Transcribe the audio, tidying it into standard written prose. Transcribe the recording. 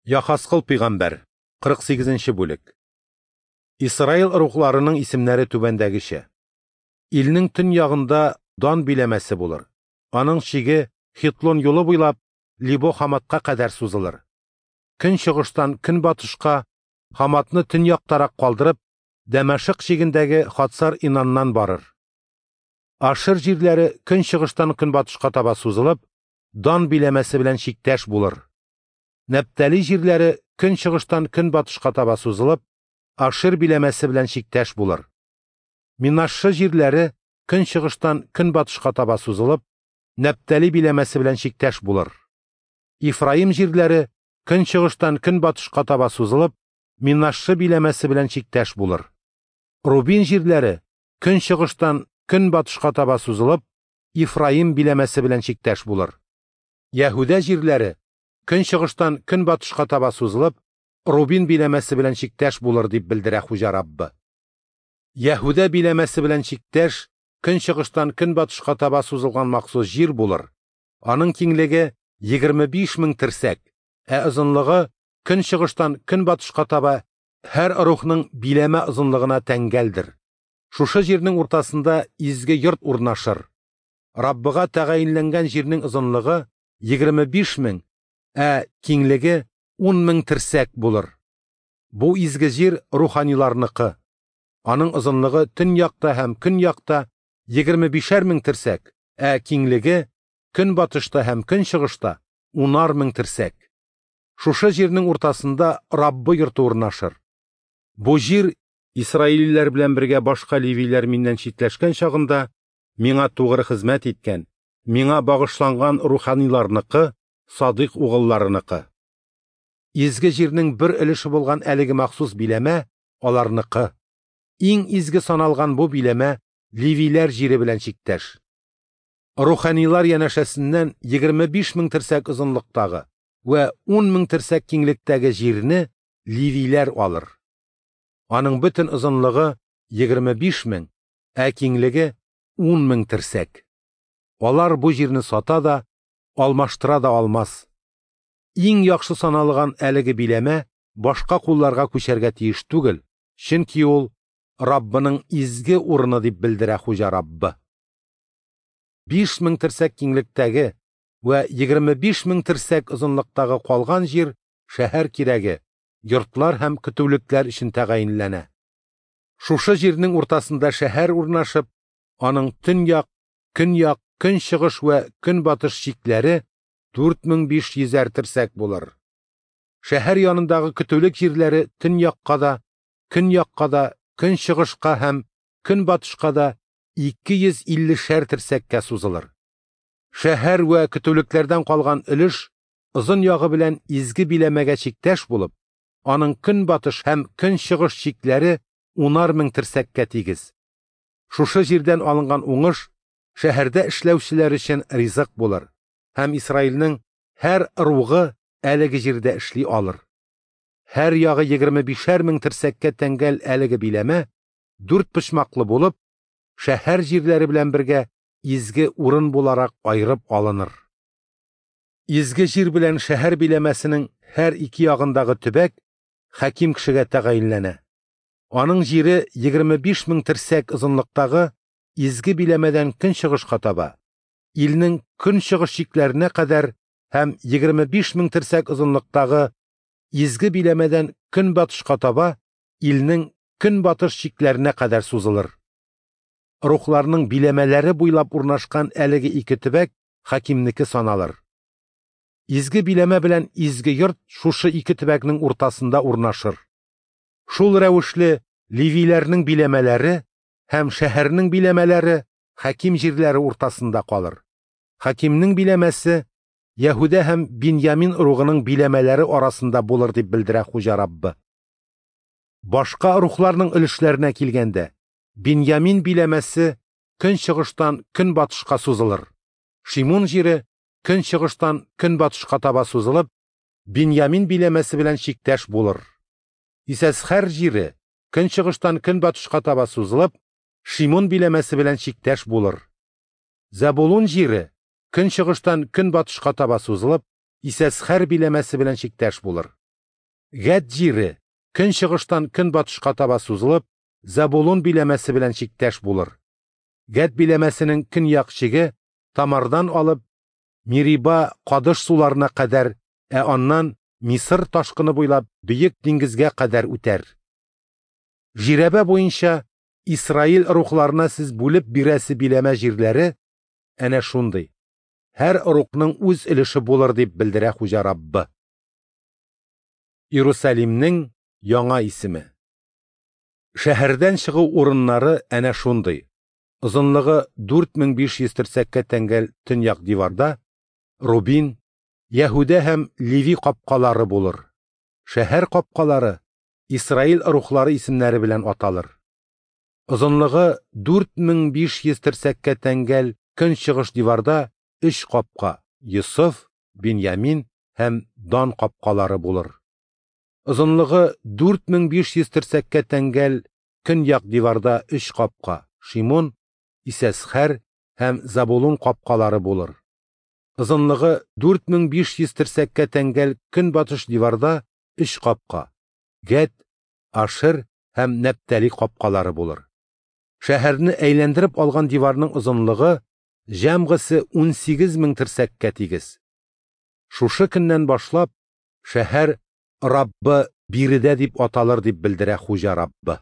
Яхаскыл пәйгамбәр, 48 нче бүлек. Исраил ыругларының исемнәре түбәндәгечә. Илнең төньягында Дан биләмәсе булыр. Аның чиге Хитлон юлы буйлап Либо-Хаматка кадәр сузылыр. Көнчыгыштан көнбатышка Хаматны төньяктарак калдырып, Дәмәшык чигендәге Хацар-Инаннан барыр. Ашер җирләре көнчыгыштан көнбатышка таба сузылып, Дан биләмәсе белән чиктәш булыр. Нәптали җирләре көнчыгыштан көнбатышка таба сузылып, Ашер биләмәсе белән чиктәш булыр. Минашшы җирләре көнчыгыштан көнбатышка таба сузылып, Нәптали биләмәсе белән чиктәш булыр. Ифраим җирләре көнчыгыштан көнбатышка таба сузылып, Минашшы биләмәсе белән чиктәш булыр. Рубин җирләре көнчыгыштан көнбатышка таба сузылып, Ифраим биләмәсе белән чиктәш булыр. Яһүдә җирләре көнчыгыштан көнбатышка таба сузылып, Рубин биләмәсе белән чиктәш булыр, дип белдерә Хуҗа Раббы. Яһүдә биләмәсе белән чиктәш көнчыгыштан көнбатышка таба сузылган махсус җир булыр. Аның киңлеге 25 мең терсәк, ә озынлыгы көнчыгыштан көнбатышка таба һәр рухның биләмә озынлыгына тәңгәлдер. Шушы җирнең уртасында изге йорт урнашыр. Раббыга тәгаенләнгән җирнең озынлыгы 25 мең, ә киңлеге 10 мең терсәк булыр. Бу изге җир руханиларныкы. Аның озынлыгы төньякта һәм көньякта 25 мең терсәк, ә киңлеге көнбатышта һәм көнчыгышта 10 мең терсәк. Шушы җирнең уртасында Раббы йорты урнашыр. Бу җир Исраилиләр белән бергә башка левиләр миннән читләшкән чагында миңа тугры хезмәт иткән, миңа багышланган руханиларныкы, садыйк угылларыныкы. Изге җирнең бер өлеше булган әлеге махсус биләмә аларныкы. Иң изге саналган бу биләмә левиләр җире белән чиктәш. Руханилар янәшәсеннән 25 мең терсәк озынлыктагы вә 10 мең терсәк киңлектәге җирне левиләр алыр. Аның бөтен озынлыгы 25 мең, ә киңлеге 10 мең терсәк. Алар бу җирне сата да, алмаштыра да алмас. Иң яхшы саналган әлеге биләмә башка кулларга күчәргә тиеш түгел, чөнки ул Раббының изге урыны дип белдерә Хуҗа Раббы. 5 мең терсәк киңлектәге вә 25 мең терсәк озынлыктагы калган җир шәһәр кирәге, йортлар һәм көтүлекләр өчен тәгаенләнә. Шушы җирнең уртасында шәһәр урнашып, аның төньяк, көньяк, көнчыгыш вә көнбатыш чикләре 4500 терсәк булыр. Шәһәр янындагы көтүлек җирләре төньякка да, көньякка да, көнчыгышка һәм көнбатышка да 250 терсәккә сузылыр. Шәһәр вә көтүлекләрдән калган өлеш озын ягы белән изге биләмәгә чиктәш булып, аның көнбатыш һәм көнчыгыш чикләре 10 мең терсәккә тигез. Шушы җирдән алынган уңыш шәһәрдә эшләүчеләр өчен ризык булыр һәм Исраилнең һәр ыругы әлеге җирдә эшли алыр. Һәр ягы 25 мең терсәккә тәңгәл әлеге биләмә дүрт почмаклы булып, шәһәр җирләре белән бергә изге урын буларак айырып алыныр. Изге җир белән шәһәр биләмәсенең һәр ике ягындагы төбәк хаким кешегә тәгаенләнә. Аның җире 25 мең терсәк озынлыктагы изге биләмәдән көнчыгышка таба, илнең көнчыгыш чикләренә кадәр һәм 25 мең терсәк озынлыктагы изге биләмәдән көнбатышка таба илнең көнбатыш чикләренә кадәр сузылыр. Рухларның биләмәләре буйлап урнашкан әлеге ике төбәк хакимнеке саналыр. Изге биләмә белән изге йорт шушы ике төбәкнең уртасында урнашыр. Шул рәвешле левиләрнең биләмәләре һәм шәһәрнең биләмәләре хаким җирләре уртасында калыр. Хакимнең биләмәсе Яһүдә һәм Биньямин ыругының биләмәләре арасында булыр дип белдерә Хуҗа Раббы. Башка рухларның өлешләренә килгәндә, Биньямин биләмәсе көнчыгыштан көнбатышка сузылыр. Шимун җире көнчыгыштан көнбатышка таба сузылып, Биньямин биләмәсе белән чиктәш булыр. Исәсхәр җире көнчыгыштан көнбатышка таба сузылып, Шимун биләмәсе белән чиктәш булыр. Зәбулун җире көнчыгыштан көнбатышка таба сузылып, Исәсхәр биләмәсе белән чиктәш булыр. Гәд җире, көнчыгыштан көнбатышка таба сузылып, Зәбулун биләмәсе белән чиктәш булыр. Гәд биләмәсенең көньяк чиге Тамардан алып Мериба Кадыш суларына кадәр, ә аннан Мисыр ташкыны буйлап Бөек диңгезгә кадәр үтәр. Жирәбә буенча Исраил ыругларына сез бүлеп бирәсе биләмә җирләре әнә шундый. Һәр ыругның үз өлеше булыр, дип белдерә Хуҗа Раббы. Иерусалимнең яңа исеме. Шәһәрдән чыгу урыннары әнә шундый. Озынлыгы 4500 терсәккә тәңгәл төньяк диварда Рубин, Яһүдә һәм Леви капкалары булыр. Шәһәр капкалары Исраил ыруглары исемнәре белән аталыр. Озынлыгы 4500 терсәккә тәңгәл көнчыгыш диварда 3 капка – Йосыф, Беньямин һәм Дан капкалары булыр. Озынлыгы 4500 терсәккә тәңгәл көньяк диварда 3 капка – Шимон, Исәсхәр һәм Забулун капкалары булыр. Озынлыгы 4500 терсәккә тәңгәл көнбатыш диварда 3 капка – Гәд, Ашер һәм Нәптали капкалары булыр. Шәһәрне әйләндереп алган диварның озынлыгы җәмгысе 18 000 терсәккә тигез. Шушы көннән башлап шәһәр Раббы биредә дип аталыр, дип белдерә Хуҗа Раббы.